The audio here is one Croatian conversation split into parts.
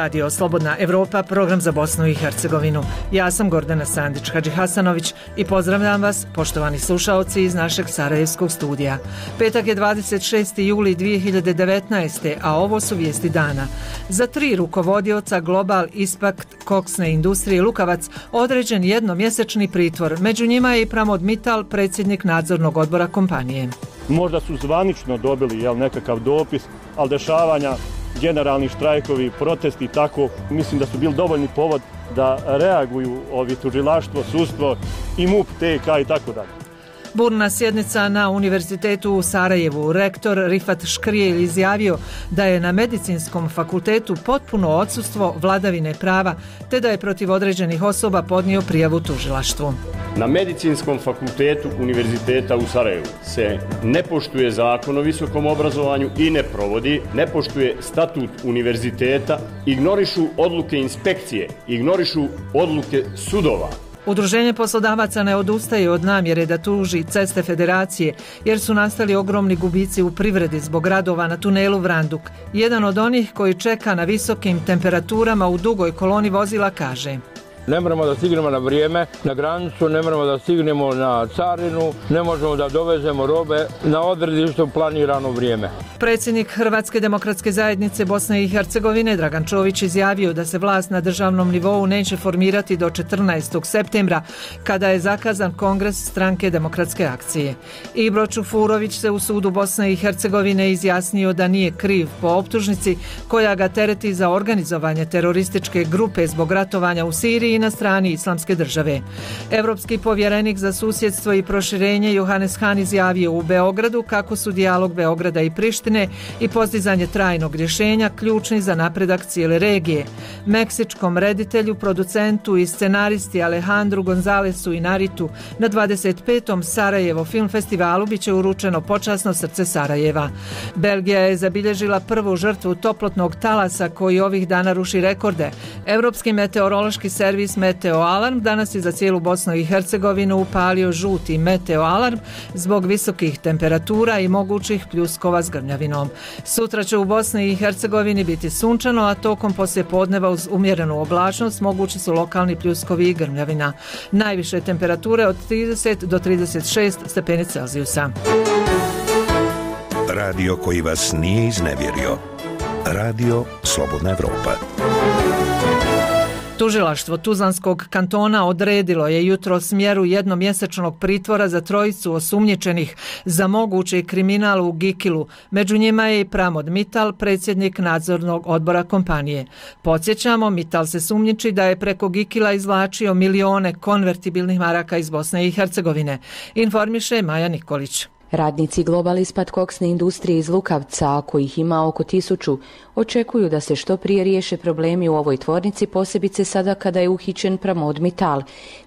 Radio Slobodna Evropa, program za Bosnu i Hercegovinu. Ja sam Gordana Sandić-Hadžihasanović i pozdravljam vas, poštovani slušaoci iz našeg sarajevskog studija. Petak je 26. juli 2019. a ovo su vijesti dana. Za 3 rukovodioca Global Impact koksne industrije Lukavac određen jednomjesečni pritvor. Među njima je i Pramod Mital, predsjednik nadzornog odbora kompanije. Možda su zvanično dobili nekakav dopis, ali dešavanja, generalni štrajkovi, protesti, tako, mislim da su bili dovoljni povod da reaguju ovi tužilaštvo, sudstvo i MUP, TK i tako dalje. Burna sjednica na Univerzitetu u Sarajevu. Rektor Rifat Škrijelj izjavio da je na Medicinskom fakultetu potpuno odsustvo vladavine prava, te da je protiv određenih osoba podnio prijavu tužilaštvu. Na Medicinskom fakultetu Univerziteta u Sarajevu se ne poštuje zakon o visokom obrazovanju i ne provodi, ne poštuje statut univerziteta, ignorišu odluke inspekcije, ignorišu odluke sudova. Udruženje poslodavaca ne odustaje od namjere da tuži Ceste Federacije jer su nastali ogromni gubici u privredi zbog radova na tunelu Vranduk. Jedan od onih koji čeka na visokim temperaturama u dugoj koloni vozila kaže: ne moramo da stignemo na vrijeme na granicu, ne moramo da stignemo na carinu, ne možemo da dovezemo robe na odredište u planirano vrijeme. Predsjednik Hrvatske demokratske zajednice Bosne i Hercegovine Dragan Čović izjavio da se vlast na državnom nivou neće formirati do 14. septembra kada je zakazan kongres stranke Demokratske akcije. Ibro Čufurović se u sudu Bosne i Hercegovine izjasnio da nije kriv po optužnici koja ga tereti za organizovanje terorističke grupe zbog ratovanja u Siriji i na strani Islamske države. Europski povjerenik za susjedstvo i proširenje Johannes Hahn izjavio u Beogradu kako su dijalog Beograda i Prištine i postizanje trajnog rješenja ključni za napredak cijele regije. Meksičkom reditelju, producentu i scenaristi Alejandru Gonzalesu Inarritu na 25. Sarajevo film festivalu biće uručeno počasno srce Sarajeva. Belgija je zabilježila prvu žrtvu toplotnog talasa koji ovih dana ruši rekorde. Europski meteorološki servis Meteo Alarm danas je za cijelu Bosnu i Hercegovinu upalio žuti Meteo Alarm zbog visokih temperatura i mogućih pljuskova s grmljavinom. Sutra će u Bosni i Hercegovini biti sunčano, a tokom poslijepodneva uz umjerenu oblačnost mogući su lokalni pljuskovi i grmljavina. Najviše temperature od 30 do 36 stepeni Celzijusa. Radio koji vas nije iznevjerio. Radio Slobodna Evropa. Tužilaštvo Tuzlanskog kantona odredilo je jutros mjeru jednomjesečnog pritvora za 3 osumnjičenih za mogući kriminal u Gikilu. Među njima je i Pramod Mital, predsjednik nadzornog odbora kompanije. Podsjećamo, Mital se sumnjiči da je preko Gikila izvlačio milione konvertibilnih maraka iz Bosne i Hercegovine. Informiše Maja Nikolić. Radnici Global Impact koksne industrije iz Lukavca, a kojih ima oko 1000, očekuju da se što prije riješe problemi u ovoj tvornici, posebice sada kada je uhićen Pramod Mital,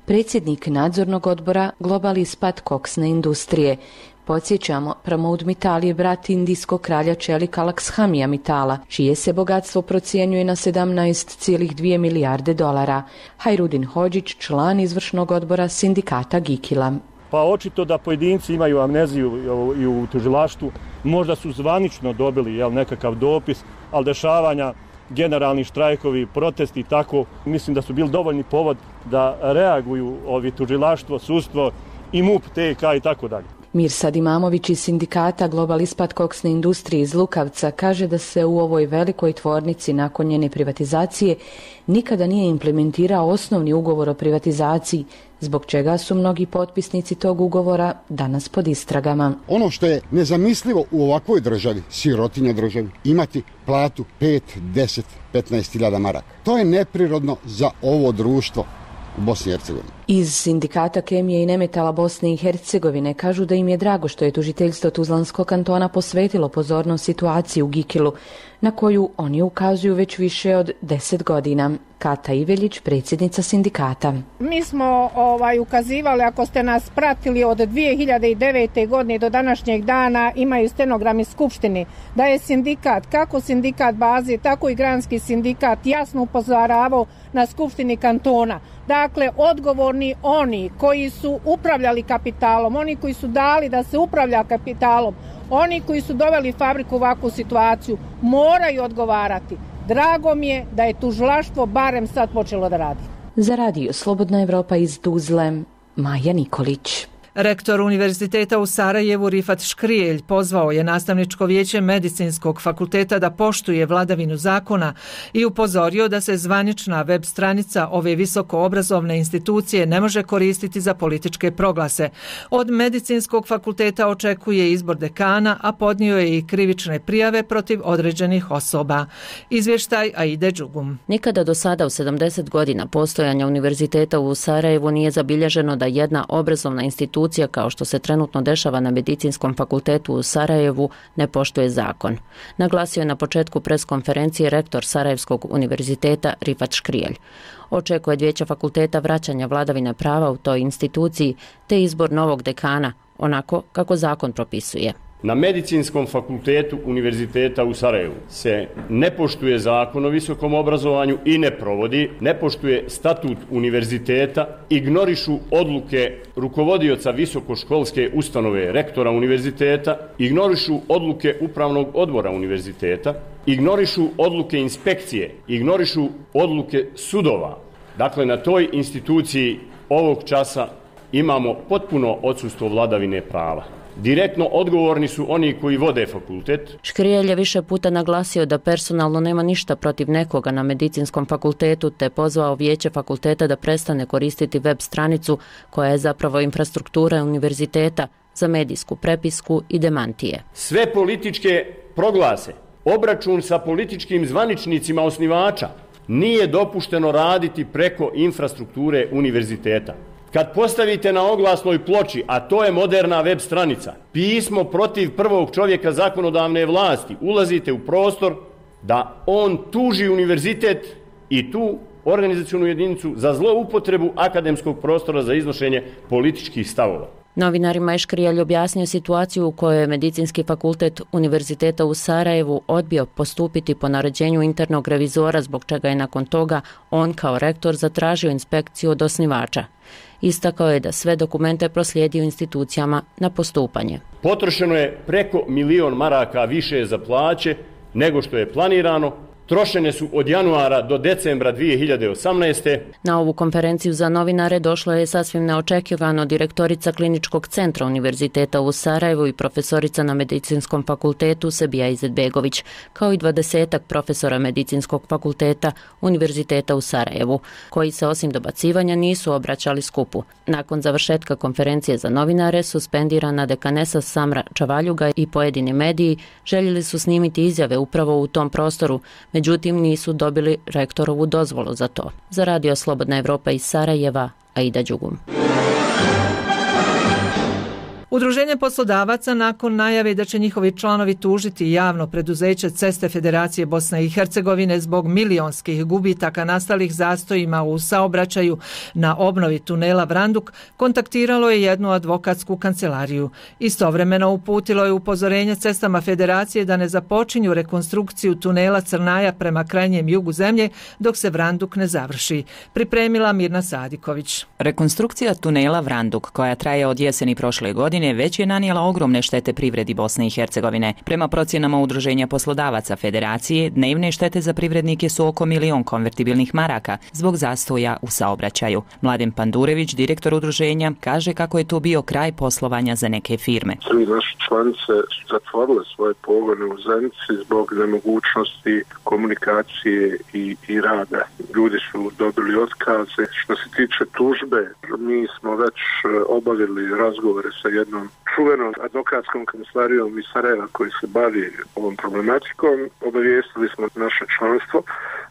predsjednik nadzornog odbora Global Impact koksne industrije. Podsjećamo, Pramod Mital je brat indijskog kralja čelika Lakshamija Mitala, čije se bogatstvo procjenjuje na 17,2 milijarde dolara. Hajrudin Hodžić, član izvršnog odbora sindikata Gikila. Pa očito da pojedinci imaju amneziju i u tužilaštvu, možda su zvanično dobili nekakav dopis, ali dešavanja, generalni štrajkovi, protesti, tako, mislim da su bili dovoljni povod da reaguju ovi tužilaštvo, sudstvo i MUP, TK i tako dalje. Mirsad Imamović iz sindikata Global Impact koksne industrije iz Lukavca kaže da se u ovoj velikoj tvornici nakon njene privatizacije nikada nije implementirao osnovni ugovor o privatizaciji, zbog čega su mnogi potpisnici tog ugovora danas pod istragama. Ono što je nezamislivo u ovakvoj državi, sirotinja državi, imati platu 5, 10, 15.000 maraka. To je neprirodno za ovo društvo u Bosni i Hercegovini. Iz sindikata kemije i nemetala Bosne i Hercegovine kažu da im je drago što je tužiteljstvo Tuzlanskog kantona posvetilo pozornost situaciji u Gikilu, na koju oni ukazuju već više od 10 godina. Kata Iveljić, predsjednica sindikata. Mi smo ukazivali, ako ste nas pratili od 2009. godine do današnjeg dana, imaju stenogrami skupštine, da je sindikat, kako sindikat baze, tako i granski sindikat jasno upozoravao na skupštini kantona. Dakle, odgovorni oni koji su upravljali kapitalom, oni koji su dali da se upravlja kapitalom, oni koji su doveli fabriku u ovakvu situaciju, moraju odgovarati. Drago mi je da je tužilaštvo barem sad počelo da radi. Za radio Slobodna Evropa iz Tuzle, Maja Nikolić. Rektor Univerziteta u Sarajevu Rifat Škrijelj pozvao je nastavničko vijeće Medicinskog fakulteta da poštuje vladavinu zakona i upozorio da se zvanična web stranica ove visokoobrazovne institucije ne može koristiti za političke proglase. Od Medicinskog fakulteta očekuje izbor dekana, a podnio je i krivične prijave protiv određenih osoba. Izvještaj Aide Đugum. Nikada do sada u 70 godina postojanja Univerziteta u Sarajevu nije zabilježeno da jedna obrazovna institucija kao što se trenutno dešava na Medicinskom fakultetu u Sarajevu ne poštuje zakon. Naglasio je na početku preskonferencije rektor Sarajevskog univerziteta Rifat Škrijelj. Očekuje od vijeća fakulteta vraćanja vladavine prava u toj instituciji te izbor novog dekana, onako kako zakon propisuje. Na Medicinskom fakultetu Univerziteta u Sarajevu se ne poštuje zakon o visokom obrazovanju i ne provodi, ne poštuje statut univerziteta, ignorišu odluke rukovodioca visokoškolske ustanove rektora univerziteta, ignorišu odluke upravnog odbora univerziteta, ignorišu odluke inspekcije, ignorišu odluke sudova. Dakle, na toj instituciji ovog časa imamo potpuno odsustvo vladavine prava. Direktno odgovorni su oni koji vode fakultet. Škrijelj je više puta naglasio da personalno nema ništa protiv nekoga na Medicinskom fakultetu te pozvao vijeće fakulteta da prestane koristiti web stranicu koja je zapravo infrastruktura univerziteta za medijsku prepisku i demantije. Sve političke proglase, obračun sa političkim zvaničnicima osnivača nije dopušteno raditi preko infrastrukture univerziteta. Kad postavite na oglasnoj ploči, a to je moderna web stranica, pismo protiv prvog čovjeka zakonodavne vlasti, ulazite u prostor da on tuži univerzitet i tu organizacionu jedinicu za zloupotrebu akademskog prostora za iznošenje političkih stavova. Novinarima je Škrijelj objasnio situaciju u kojoj je Medicinski fakultet Univerziteta u Sarajevu odbio postupiti po naređenju internog revizora, zbog čega je nakon toga on kao rektor zatražio inspekciju od osnivača. Istakao je da sve dokumente proslijedio institucijama na postupanje. Potrošeno je preko 1.000.000 maraka više za plaće nego što je planirano. Trošene su od januara do decembra 2018. Na ovu konferenciju za novinare došlo je sasvim neočekivano direktorica Kliničkog centra Univerziteta u Sarajevu i profesorica na Medicinskom fakultetu Sebija Izetbegović, kao i 20 profesora Medicinskog fakulteta Univerziteta u Sarajevu, koji se osim dobacivanja nisu obraćali skupu. Nakon završetka konferencije za novinare, suspendirana dekanesa Samra Čavaljuga i pojedini mediji željeli su snimiti izjave upravo u tom prostoru, međutim nisu dobili rektorovu dozvolu za to. Za radio Slobodna Evropa iz Sarajeva, Aida Đugum. Udruženje poslodavaca nakon najave da će njihovi članovi tužiti javno preduzeće Ceste Federacije Bosne i Hercegovine zbog milionskih gubitaka nastalih zastojima u saobraćaju na obnovi tunela Vranduk, kontaktiralo je jednu advokatsku kancelariju. Istovremeno uputilo je upozorenje Cestama Federacije da ne započinju rekonstrukciju tunela Crnaja prema krajnjem jugu zemlje dok se Vranduk ne završi. Pripremila Mirna Sadiković. Rekonstrukcija tunela Vranduk, koja traje od jeseni prošle godine, već je nanijela ogromne štete privredi Bosne i Hercegovine. Prema procjenama Udruženja poslodavaca Federacije, dnevne štete za privrednike su oko 1.000.000 konvertibilnih maraka zbog zastoja u saobraćaju. Mladen Pandurević, direktor udruženja, kaže kako je to bio kraj poslovanja za neke firme. Svi naše članice su zatvorile svoje pogone u Zenici zbog nemogućnosti komunikacije i rada. Ljudi su dobili otkaze. Što se tiče tužbe, mi smo već obavili razgovore sa jednom čuvenom advokatskom kancelarijom iz Sarajeva koji se bavi ovom problematikom. Obavijestili smo naše članstvo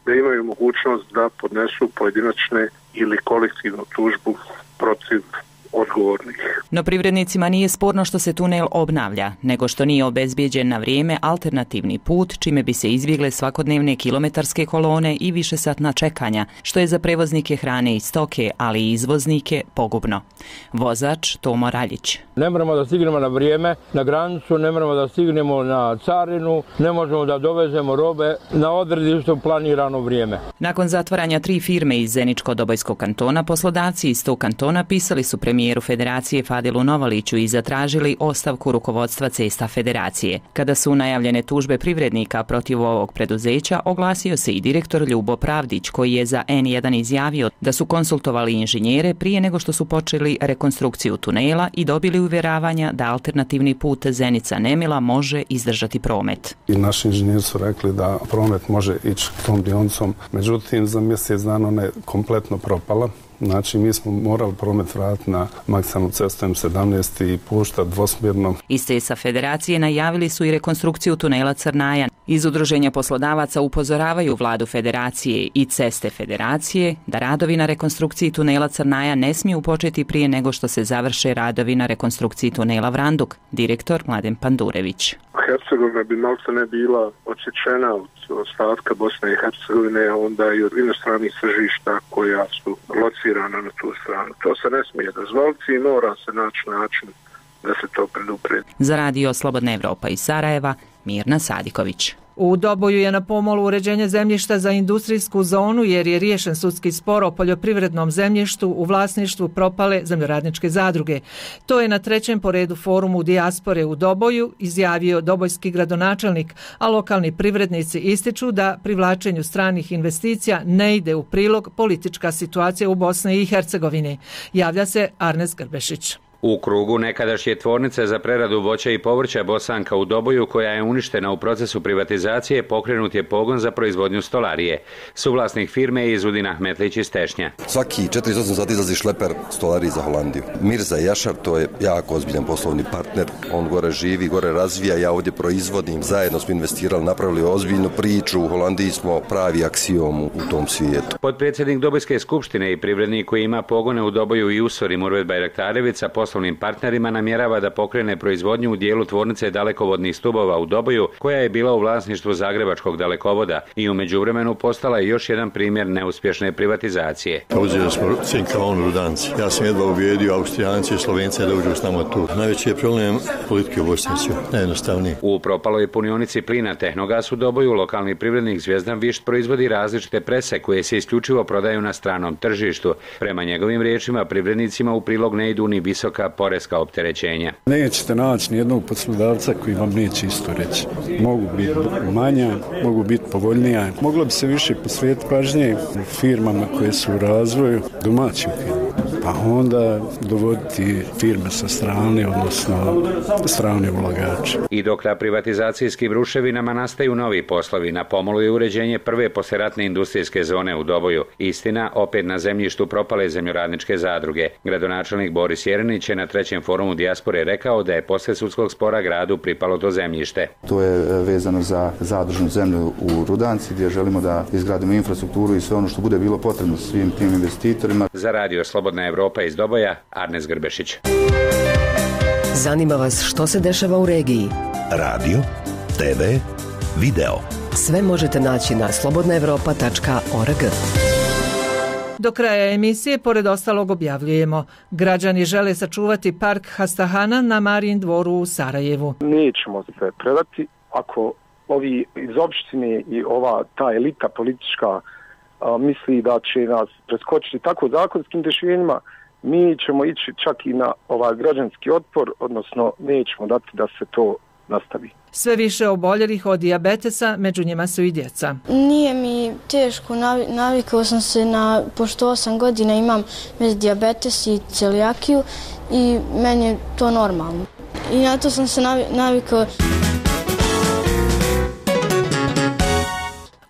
da imaju mogućnost da podnesu pojedinačne ili kolektivnu tužbu protiv odgovornih. No privrednicima nije sporno što se tunel obnavlja, nego što nije obezbijeđen na vrijeme alternativni put, čime bi se izbjegle svakodnevne kilometarske kolone i višesatna čekanja, što je za prevoznike hrane i stoke, ali i izvoznike, pogubno. Vozač Tomo Raljić. Ne moramo da stignemo na vrijeme na granicu, ne moramo da stignemo na carinu, ne možemo da dovezemo robe na odredištu planirano vrijeme. Nakon zatvaranja 3 firme iz Zeničko-Dobojskog kantona, poslodavci iz tog kantona pisali su premijeru premijeru Federacije Fadilu Novaliću i zatražili ostavku rukovodstva Cesta Federacije. Kada su najavljene tužbe privrednika protiv ovog preduzeća, oglasio se i direktor Ljubo Pravdić, koji je za N1 izjavio da su konsultovali inženjere prije nego što su počeli rekonstrukciju tunela i dobili uvjeravanja da alternativni put Zenica-Nemila može izdržati promet. I naši inženjeri su rekli da promet može ići tom dionicom, međutim za mjesec dana ona je kompletno propala. Znači, mi smo morali promet vratiti na magistralnu cestu M17 i puštati dvosmjerno. Iz Cesta Federacije najavili su i rekonstrukciju tunela Crnajan. Iz Udruženja poslodavaca upozoravaju vladu Federacije i Ceste Federacije da radovi na rekonstrukciji tunela Crnajan ne smiju početi prije nego što se završe radovi na rekonstrukciji tunela Vranduk. Direktor Mladen Pandurević. Hercegovina bi malta ne bila odsječena od ostatka Bosne i Hercegovine, a onda i od inostranih tržišta koja su locirana na tu stranu. To se ne smije dozvoliti i mora se naći način da se to predupredi. Za radio Slobodna Evropa iz Sarajeva, Mirna Sadiković. U Doboju je na pomolu uređenje zemljišta za industrijsku zonu jer je riješen sudski spor o poljoprivrednom zemljištu u vlasništvu propale zemljoradničke zadruge. To je na 3. po redu forumu dijaspore u Doboju izjavio dobojski gradonačelnik, a lokalni privrednici ističu da privlačenju stranih investicija ne ide u prilog politička situacija u Bosni i Hercegovini. Javlja se Arnes Grbešić. U krugu nekadašnje tvornice za preradu voća i povrća Bosanka u Doboju, koja je uništena u procesu privatizacije, pokrenut je pogon za proizvodnju stolarije. Suvlasnik firme je Izudin Ahmetlić iz Tešnja. Svaki 48 sati izlazi šleper stolarije za Holandiju. Mirza Jašar, to je jako ozbiljan poslovni partner. On gore živi, gore razvija, ja ovdje proizvodim. Zajedno smo investirali, napravili ozbiljnu priču. U Holandiji smo pravi aksiom u tom svijetu. Potpredsjednik Dobojske skupštine i privrednik koji ima pogone u Doboju i Usori Murvet Bajraktarević sa poslovnim partnerima namjerava da pokrene proizvodnju u dijelu tvornice dalekovodnih stubova u Doboju, koja je bila u vlasništvu Zagrebačkog dalekovoda i u međuvremenu postala je još jedan primjer neuspješne privatizacije. Uzeli smo Cinkalon Rudanci. Ja sam jedva ubijedio Austrijance i Slovence da uđu s nama tu. Najveći je problem politike u Bosnici, najjednostavniji. U propaloj punionici plina Tehnogas u Doboju lokalni privrednik Zvijezdan Višt proizvodi različite prese koje se isključivo prodaju na stranom tržištu. Prema njegovim riječima, privrednicima u prilog ne idu ni visoka poreska opterećenja. Nećete naći nijednog poslodavca koji vam neće isto reći. Mogu biti manja, mogu biti povoljnija. Moglo bi se više posvetiti pažnje firmama koje su u razvoju, domaćim firmama. Pa onda dovoditi firme sa strane, odnosno strane ulagače. I dok na privatizacijskim ruševinama nastaju novi poslovi, na pomolu je uređenje prve poslijeratne industrijske zone u Doboju. Istina, opet na zemljištu propale zemljoradničke zadruge. Gradonačelnik Boris Jerenić je na 3. forumu dijaspore rekao da je poslije sudskog spora gradu pripalo to zemljište. To je vezano za zadružnu zemlju u Rudanci gdje želimo da izgradimo infrastrukturu i sve ono što bude bilo potrebno svim tim investitorima. Za radio Slobodna Evropa iz Doboja, Arnes Grbešić. Zanima vas što se dešava u regiji? Radio, TV, video. Sve možete naći na slobodnaevropa.org. Do kraja emisije, pored ostalog, objavljujemo: građani žele sačuvati park Hastahana na Marijin dvoru u Sarajevu. Nećemo se predati ako ovi iz opštine i ta elita politička misli da će nas preskočiti tako zakonskim rješenjima, mi ćemo ići čak i na građanski otpor, odnosno nećemo dati da se to nastavi. Sve više oboljelih od dijabetesa, među njima su i djeca. Nije mi teško, navikao sam se pošto 8 godina imam dijabetes i celijakiju i meni je to normalno. I na to sam se navikao.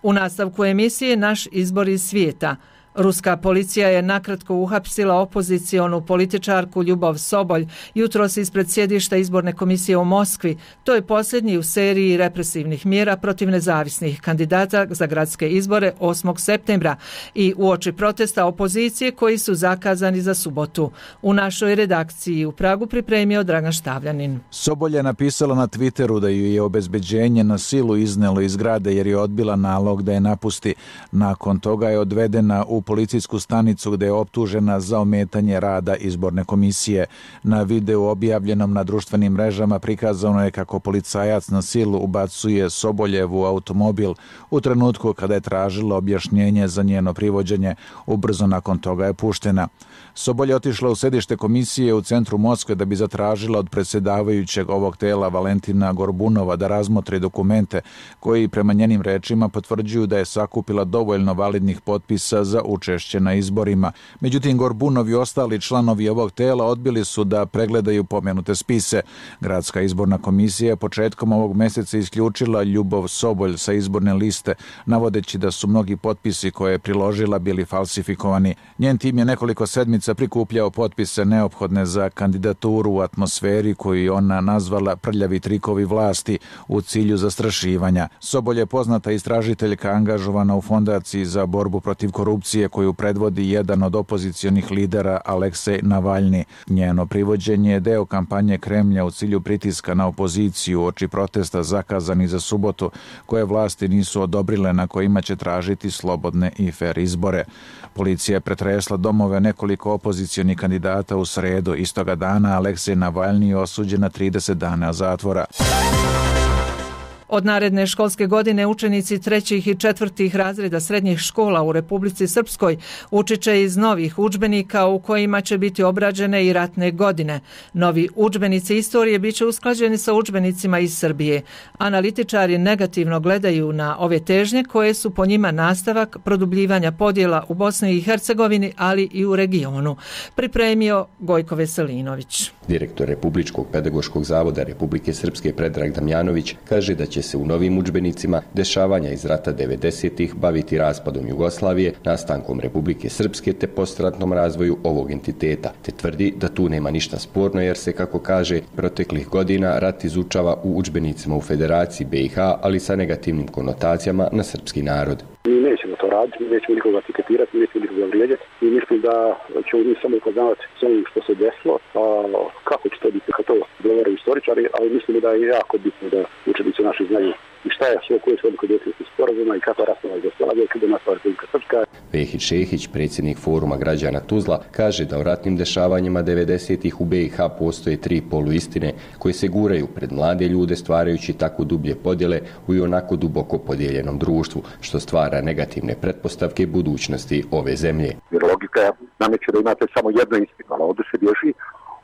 U nastavku emisije naš izbor iz svijeta. Ruska policija je nakratko uhapsila opozicionu političarku Ljubov Sobolj jutros ispred sjedišta izborne komisije u Moskvi. To je posljednji u seriji represivnih mjera protiv nezavisnih kandidata za gradske izbore 8. septembra i uoči protesta opozicije koji su zakazani za subotu. U našoj redakciji u Pragu pripremio Dragan Štavljanin. Sobolj je napisala na Twitteru da ju je obezbeđenje na silu iznelo iz zgrade jer je odbila nalog da je napusti. Nakon toga je odvedena u policijsku stanicu gde je optužena za ometanje rada izborne komisije. Na videu objavljenom na društvenim mrežama prikazano je kako policajac na silu ubacuje Soboljevu u automobil u trenutku kada je tražila objašnjenje za njeno privođenje. Ubrzo nakon toga je puštena. Sobol je otišla u sedište komisije u centru Moskve da bi zatražila od predsjedavajućeg ovog tela Valentina Gorbunova da razmotri dokumente koji prema njenim rečima potvrđuju da je sakupila dovoljno validnih potpisa za učešće na izborima. Međutim, Gorbunov i ostali članovi ovog tela odbili su da pregledaju pomenute spise. Gradska izborna komisija je početkom ovog mjeseca isključila Ljubov Sobolj sa izborne liste, navodeći da su mnogi potpisi koje je priložila bili falsifikovani. Njen tim je nekoliko sedmica prikupljao potpise neophodne za kandidaturu u atmosferi koju je ona nazvala prljavi trikovi vlasti u cilju zastrašivanja. Sobol je poznata istražiteljka angažovana u Fondaciji za borbu protiv korupcije koju predvodi jedan od opozicionih lidera Aleksej Navalni. Njeno privođenje je deo kampanje Kremlja u cilju pritiska na opoziciju oči protesta zakazani za subotu koje vlasti nisu odobrile na kojima će tražiti slobodne i fer izbore. Policija je pretresla domove nekoliko opozicionih kandidata u sredu. Istoga dana Aleksej Navalni je osuđen na 30 dana zatvora. Od naredne školske godine učenici 3. i 4. razreda srednjih škola u Republici Srpskoj učit će iz novih udžbenika u kojima će biti obrađene i ratne godine. Novi udžbenici istorije bit će usklađeni sa udžbenicima iz Srbije. Analitičari negativno gledaju na ove težnje koje su po njima nastavak produbljivanja podjela u Bosni i Hercegovini, ali i u regionu. Pripremio Gojko Veselinović. Direktor Republičkog pedagoškog zavoda Republike Srpske Predrag Damjanović kaže da će se u novim udžbenicima dešavanja iz rata 90-ih baviti raspadom Jugoslavije, nastankom Republike Srpske te postratnom razvoju ovog entiteta, te tvrdi da tu nema ništa sporno jer se, kako kaže, proteklih godina rat izučava u udžbenicima u Federaciji BiH, ali sa negativnim konotacijama na srpski narod. Mi nećemo to raditi, mi nećemo nikoga etiketirati, mi nećemo nikoga vrijeđati i mislim da ćemo mi samo upoznavati sve ono što se desilo, a kako će to biti kad to govoraju istoričari, ali mislim da je jako bitno da učenici naši znaju i šta je sve koje su odluke Dejtonskog sporazuma i kakva rastava Jugoslavije kada je nastala Republika Srpska. Vehić Šehić, predsjednik Foruma građana Tuzla, kaže da u ratnim dešavanjima 90-ih u BiH postoje 3 poluistine koje se guraju pred mlade ljude stvarajući tako dublje podjele u i onako duboko podijeljenom društvu, što stvara negativne pretpostavke budućnosti ove zemlje. Jer logika nameće da imate samo jedno istinu, ali ovdje se bježi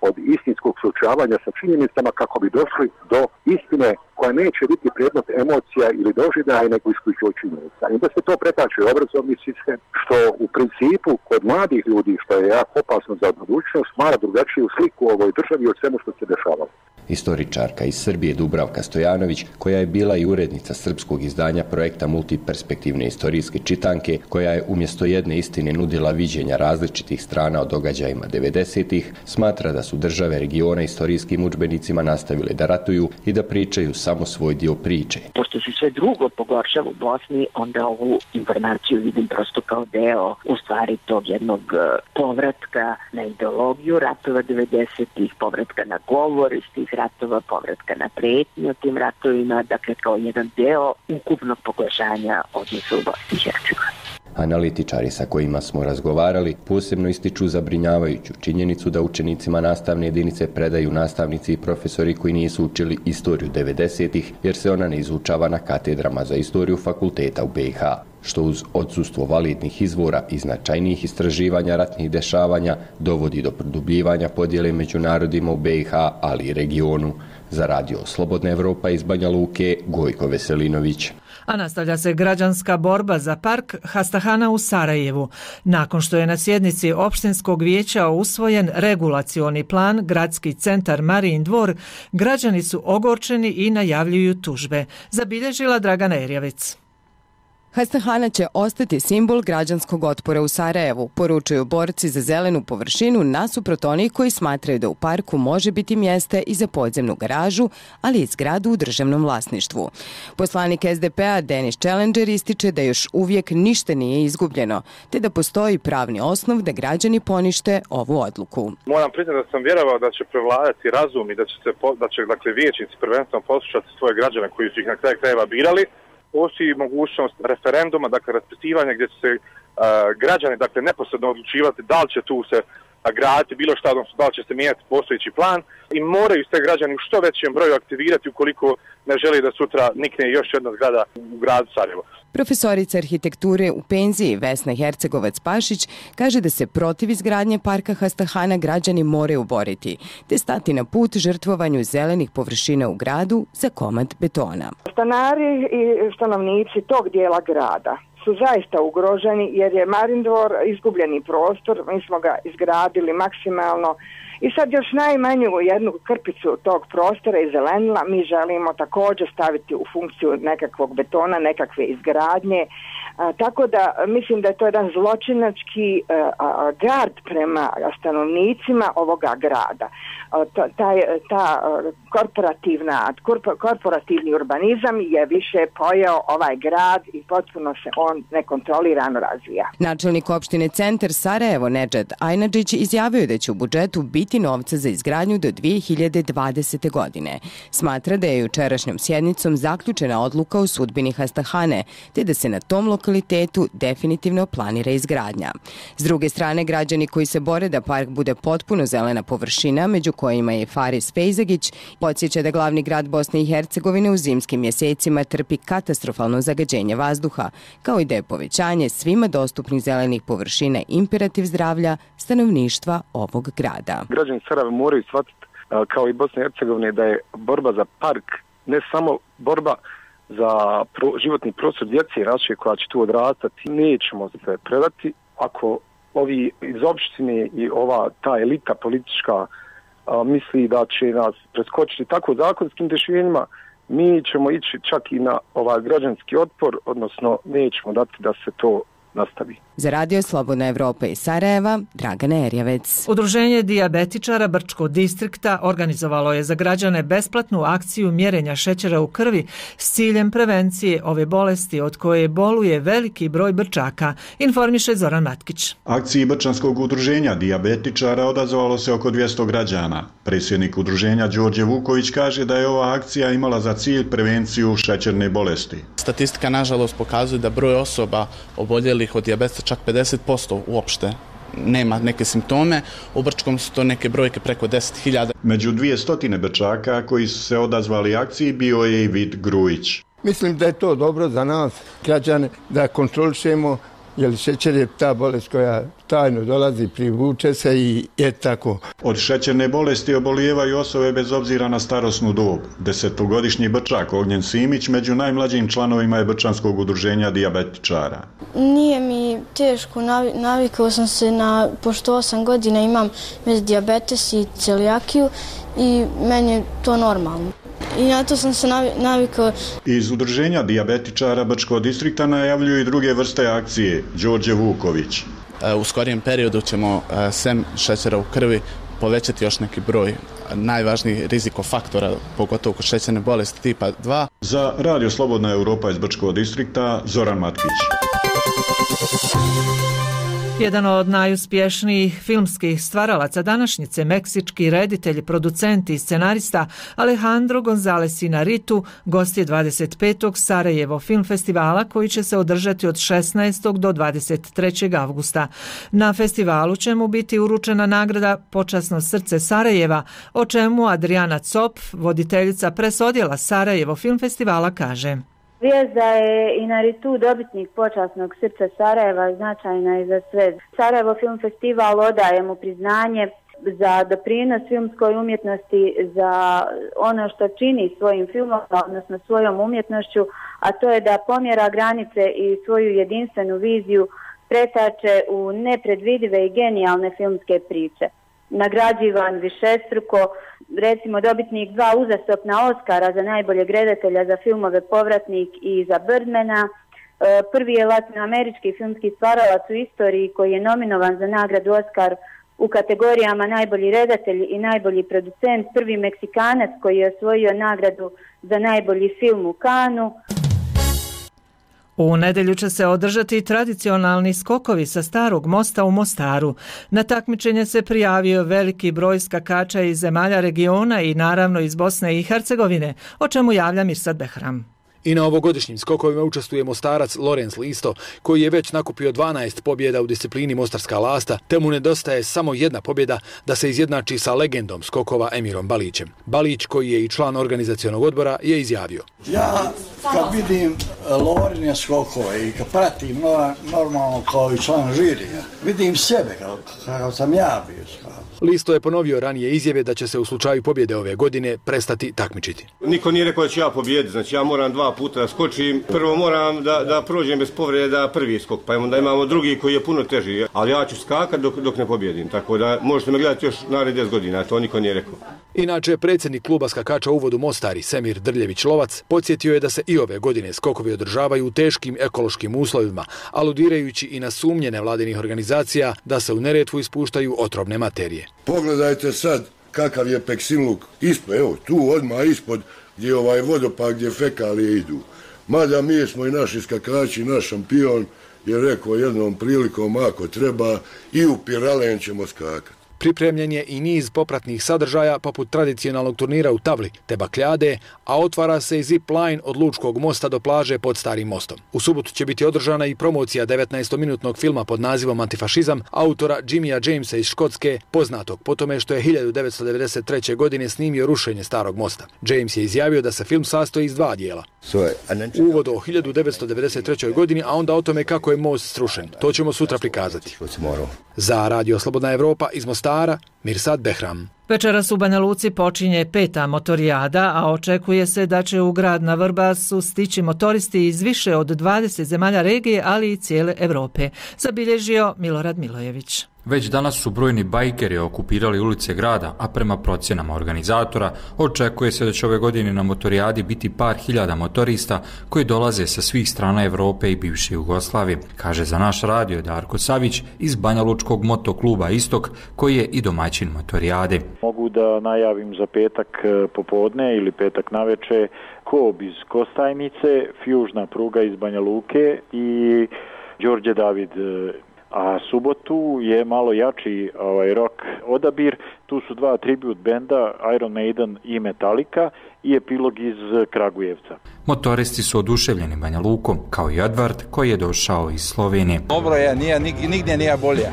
od istinskog suočavanja sa činjenicama kako bi došli do istine koja neće biti predmet emocija ili doživljaja nego isključivo činjenica. I da se to pretače u obrazovni sistem, što u principu kod mladih ljudi, što je jako opasno za budućnost, stvara drugačiju sliku u ovoj državi od svemu što se dešavalo. Istoričarka iz Srbije Dubravka Stojanović, koja je bila i urednica srpskog izdanja projekta Multiperspektivne istorijske čitanke, koja je umjesto jedne istine nudila viđenja različitih strana o događajima 90-ih, smatra da su države regiona istorijskim udžbenicima nastavile da ratuju i da pričaju samo svoj dio priče. Pošto se sve drugo pogoršava u Bosni, onda ovu informaciju vidim prosto kao deo u stvari tog jednog povratka na ideologiju ratova 90-ih, povratka na govor iz tih ratova, povratka na pretnje o tim ratovima, dakle kao jedan deo ukupnog pogoršanja odnosa u Bosni i Hercegovini. Analitičari sa kojima smo razgovarali posebno ističu zabrinjavajuću činjenicu da učenicima nastavne jedinice predaju nastavnici i profesori koji nisu učili istoriju 90-ih jer se ona ne izučava na katedrama za istoriju fakulteta u BiH, što uz odsustvo validnih izvora i značajnijih istraživanja ratnih dešavanja dovodi do produbljivanja podjele među narodima u BiH, ali i regionu. Za radio Slobodna Evropa iz Banja Luke, Gojko Veselinović. A nastavlja se građanska borba za park Hastahana u Sarajevu. Nakon što je na sjednici opštinskog vijeća usvojen regulacioni plan Gradski centar Marijin dvor, građani su ogorčeni i najavljuju tužbe. Zabilježila Dragana Erjavec. Hastahana će ostati simbol građanskog otpora u Sarajevu, poručuju borci za zelenu površinu nasuprot onih koji smatraju da u parku može biti mjesta i za podzemnu garažu, ali i zgradu u državnom vlasništvu. Poslanik SDP-a Denis Challenger ističe da još uvijek ništa nije izgubljeno, te da postoji pravni osnov da građani ponište ovu odluku. Moram priznati da sam vjerovao da će prevladati razum i da će dakle, vijećnici prvenstveno poslušati svoje građane koji su ih na kraju krajeva birali. Postoji mogućnost referenduma, dakle raspisivanja gdje će se građani dakle neposredno odlučivati da li će tu se graditi bilo šta, odnosno da li će se mijenjati postojeći plan i moraju se građani u što većem broju aktivirati ukoliko ne želi da sutra nikne još jedna zgrada u gradu Sarajevo. Profesorica arhitekture u penziji Vesna Hercegovac-Pašić kaže da se protiv izgradnje parka Hastahana građani moraju boriti, te stati na put žrtvovanju zelenih površina u gradu za komad betona. Stanari i stanovnici tog dijela grada su zaista ugroženi jer je Marindvor izgubljeni prostor, mi smo ga izgradili maksimalno i sad još najmanju jednu krpicu tog prostora i zelenila mi želimo također staviti u funkciju nekakvog betona, nekakve izgradnje. Tako da mislim da je to jedan zločinački gard prema stanovnicima ovoga grada. Korporativni urbanizam je više pojeo ovaj grad i potpuno se on nekontrolirano razvija. Načelnik opštine Centar Sarajevo Nedžad Ajnadžić izjavio da će u budžetu biti novca za izgradnju do 2020. godine. Smatra da je jučerašnjom sjednicom zaključena odluka o sudbini Hastahane, te da se na tom lokalitetu definitivno planira izgradnja. S druge strane, građani koji se bore da park bude potpuno zelena površina, među kojima je Faris Fejzagić, podsjeća da glavni grad Bosne i Hercegovine u zimskim mjesecima trpi katastrofalno zagađenje vazduha, kao i da je povećanje svima dostupnih zelenih površina imperativ zdravlja stanovništva ovog grada. Građani Sarajeva moraju shvatiti, kao i Bosne i Hercegovine, da je borba za park ne samo borba za životni prostor djece i naše koja će tu odrastati. Nećemo se predati ako ovi iz opštine i ta elita politička misli da će nas preskočiti tako zakonskim rješenjima, mi ćemo ići čak i na građanski otpor, odnosno nećemo dati da se to nastavi. Za Radio Slobodna Evropa iz Sarajeva, Dragana Erjavec. Udruženje dijabetičara Brčkog distrikta organizovalo je za građane besplatnu akciju mjerenja šećera u krvi s ciljem prevencije ove bolesti od koje boluje veliki broj Brčaka, informiše Zoran Matkić. Akciji Brčanskog udruženja dijabetičara odazvalo se oko 200 građana. Predsjednik udruženja Đorđe Vuković kaže da je ova akcija imala za cilj prevenciju šećerne bolesti. Statistika nažalost pokazuje da broj osoba oboljelih od dijabetesa čak 50% uopšte nema neke simptome. U Brčkom su to neke brojke preko 10.000. Među 200 Brčaka koji su se odazvali akciji bio je i Vid Grujić. Mislim da je to dobro za nas, građane, da kontrolišemo, jer šećer je ta bolest koja tajno dolazi, privuče se i je tako. Od šećerne bolesti obolijevaju osobe bez obzira na starosnu dob. 10-godišnji Brčak Ognjen Simić među najmlađim članovima je Brčanskog udruženja dijabetičara. Nije mi teško, navikao sam se pošto 8 godina imam dijabetes i celijakiju i meni je to normalno. I na to sam se navikao. Iz udruženja dijabetičara Brčkog distrikta najavljuju i druge vrste akcije. Đorđe Vuković. U skorijem periodu ćemo sem šećera u krvi povećati još neki broj najvažnijih rizikofaktora, pogotovo kod šećerne bolesti tipa 2. Za Radio Slobodna Evropa iz Brčkog distrikta, Zoran Matkić. Jedan od najuspješnijih filmskih stvaralaca današnjice, meksički reditelj, producent i scenarista Alejandro González Iñárritu gost je 25. Sarajevo film festivala koji će se održati od 16. do 23. avgusta. Na festivalu će mu biti uručena nagrada Počasno srce Sarajeva, o čemu Adriana Cop, voditeljica presodjela Sarajevo film festivala, kaže. Vijest da je Iñárritu dobitnik Počasnog srca Sarajeva značajna je za sve. Sarajevo film festival odaje mu priznanje za doprinos filmskoj umjetnosti, za ono što čini svojim filmom, odnosno svojom umjetnošću, a to je da pomjera granice i svoju jedinstvenu viziju pretače u nepredvidive i genijalne filmske priče. Nagrađivan višestruko, recimo dobitnik 2 uzastopna Oscara za najboljeg redatelja za filmove Povratnik i za Birdmana. Prvi je latinoamerički filmski stvaralac u istoriji koji je nominovan za nagradu Oscar u kategorijama najbolji redatelj i najbolji producent. Prvi Meksikanac koji je osvojio nagradu za najbolji film u Kanu. U nedjelju će se održati tradicionalni skokovi sa Starog mosta u Mostaru. Na takmičenje se prijavio veliki broj skakača iz zemalja regiona i naravno iz Bosne i Hercegovine, o čemu javlja Mirsad Behram. I na ovogodišnjim skokovima učestvuje Mostarac Lorenz Listo, koji je već nakupio 12 pobjeda u disciplini Mostarska lasta, te mu nedostaje samo jedna pobjeda da se izjednači sa legendom skokova Emirom Balićem. Balić, koji je i član organizacionog odbora, je izjavio: Ja kad vidim Lorine skokove i kad pratim normalno kao i član žirija, vidim sebe kao sam ja bio skakao. Listo je ponovio ranije izjave da će se u slučaju pobjede ove godine prestati takmičiti. Niko nije rekao da ću ja pobjediti, znači ja moram 2 puta da skočim. Prvo moram da prođem bez povreda prvi skok, pa onda imamo drugi koji je puno teži. Ali ja ću skakati dok ne pobjedim, tako da možete me gledati još narednih 10 godina, to niko nije rekao. Inače, predsjednik kluba skakača u uvodu Mostari, Semir Drljević-Lovac, podsjetio je da se i ove godine skokovi održavaju u teškim ekološkim uslovima, aludirajući i na sumnje nevladinih organizacija da se u Neretvu ispuštaju otrovne materije. Pogledajte sad kakav je Peksinluk ispod, evo tu odmah ispod gdje je ovaj vodopad gdje fekalije idu. Mada mi smo i naši skakači, naš šampion je rekao jednom prilikom ako treba i u Piralen ćemo skakati. Pripremljen je i niz popratnih sadržaja poput tradicionalnog turnira u tavli te bakljade, a otvara se i zip line od Lučkog mosta do plaže pod Starim mostom. U subotu će biti održana i promocija 19-minutnog filma pod nazivom Antifašizam autora Jimmya Jamesa iz Škotske, poznatog po tome što je 1993. godine snimio rušenje Starog mosta. James je izjavio da se film sastoji iz 2 dijela. Uvod o 1993. godini, a onda o tome kako je most srušen. To ćemo sutra prikazati. Za Radio Slobodna Evropa iz Mostara, Mirsad Behram. Večeras u Banja Luci počinje 5. motorijada, a očekuje se da će u grad na Vrbasu stići motoristi iz više od 20 zemalja regije, ali i cijele Europe, zabilježio Milorad Milojević. Već danas su brojni bajkeri okupirali ulice grada, a prema procjenama organizatora očekuje se da će ove godine na motorijadi biti par hiljada motorista koji dolaze sa svih strana Europe i bivše Jugoslavije, kaže za naš radio Darko Savić iz Banja Lučkog motokluba Istok, koji je i domaćin motorijade. Mogu da najavim za petak popodne ili petak naveče Kob iz Kostajnice, fjužna pruga iz Banja Luke i Đorđe David. A subotu je malo jači rock odabir. Tu su 2 tribut benda, Iron Maiden i Metallica, i epilog iz Kragujevca. Motoristi su oduševljeni Banja Lukom, kao i Edvard koji je došao iz Slovenije. Dobro je, nigdje nije bolje.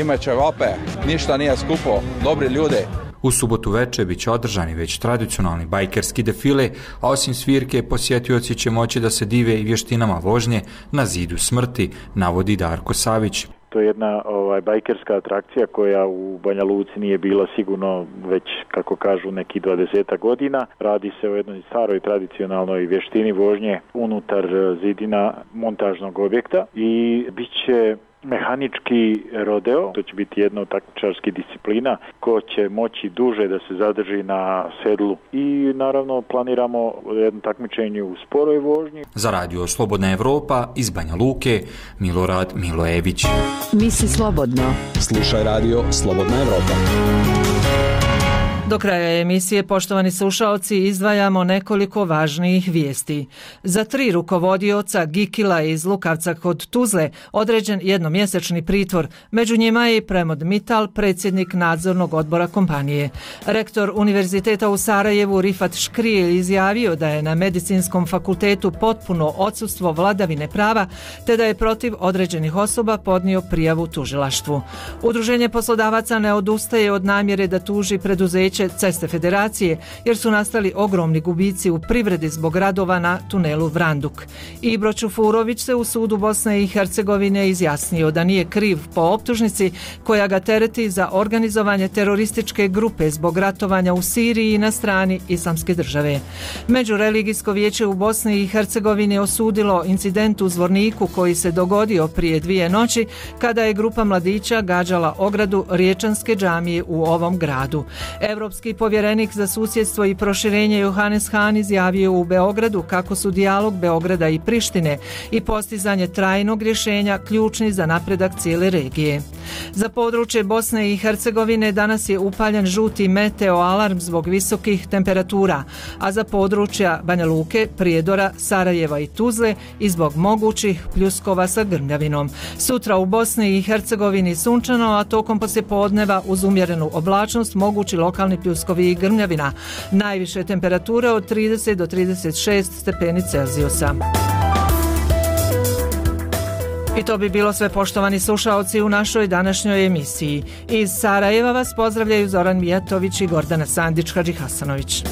Imaće vape, ništa nije skupo, dobri ljude. U subotu večer bit će održani već tradicionalni bajkerski defile, a osim svirke posjetioci će moći da se dive i vještinama vožnje na zidu smrti, navodi Darko Savić. To je jedna bajkerska atrakcija koja u Banja Luci nije bila sigurno već, kako kažu, neki 20 godina. Radi se o jednoj staroj tradicionalnoj vještini vožnje unutar zidina montažnog objekta i bit će mehanički rodeo, to će biti jedna od takmičarskih disciplina, ko će moći duže da se zadrži na sedlu. I naravno planiramo jedno takmičenje u sporoj vožnji. Za Radio Slobodna Evropa iz Banja Luke, Milorad Milojević. Misli slobodno. Slušaj Radio Slobodna Evropa. Do kraja emisije, poštovani slušaoci, izdvajamo nekoliko važnijih vijesti. Za 3 rukovodioca Gikila iz Lukavca kod Tuzle određen jednomjesečni pritvor. Među njima je i Premod Mital, predsjednik nadzornog odbora kompanije. Rektor Univerziteta u Sarajevu Rifat Škrijelj izjavio da je na Medicinskom fakultetu potpuno odsustvo vladavine prava, te da je protiv određenih osoba podnio prijavu tužilaštvu. Udruženje poslodavaca ne odustaje od namjere da tuži preduzeće Ceste Federacije, jer su nastali ogromni gubici u privredi zbog radova na tunelu Vranduk. Ibro Čufurović se u sudu Bosne i Hercegovine izjasnio da nije kriv po optužnici koja ga tereti za organizovanje terorističke grupe zbog ratovanja u Siriji na strani Islamske države. Međureligijsko vijeće u Bosni i Hercegovini osudilo incident u Zvorniku koji se dogodio prije 2 noći kada je grupa mladića gađala ogradu Riječanske džamije u ovom gradu. Europski povjerenik za susjedstvo i proširenje Johannes Hahn izjavio u Beogradu kako su dijalog Beograda i Prištine i postizanje trajnog rješenja ključni za napredak cijele regije. Za područje Bosne i Hercegovine danas je upaljen žuti meteo alarm zbog visokih temperatura, a za područja Banja Luke, Prijedora, Sarajeva i Tuzle i zbog mogućih pljuskova sa grmljavinom. Sutra u Bosni i Hercegovini sunčano, a tokom poslijepodneva uz umjerenu oblačnost mogući lokalni pljuskovi i grmljavina. Najviše temperature od 30 do 36 stepeni Celzijusa. I to bi bilo sve, poštovani slušaoci, u našoj današnjoj emisiji. Iz Sarajeva vas pozdravljaju Zoran Mijatović i Gordana Sandić-Hadžihasanović.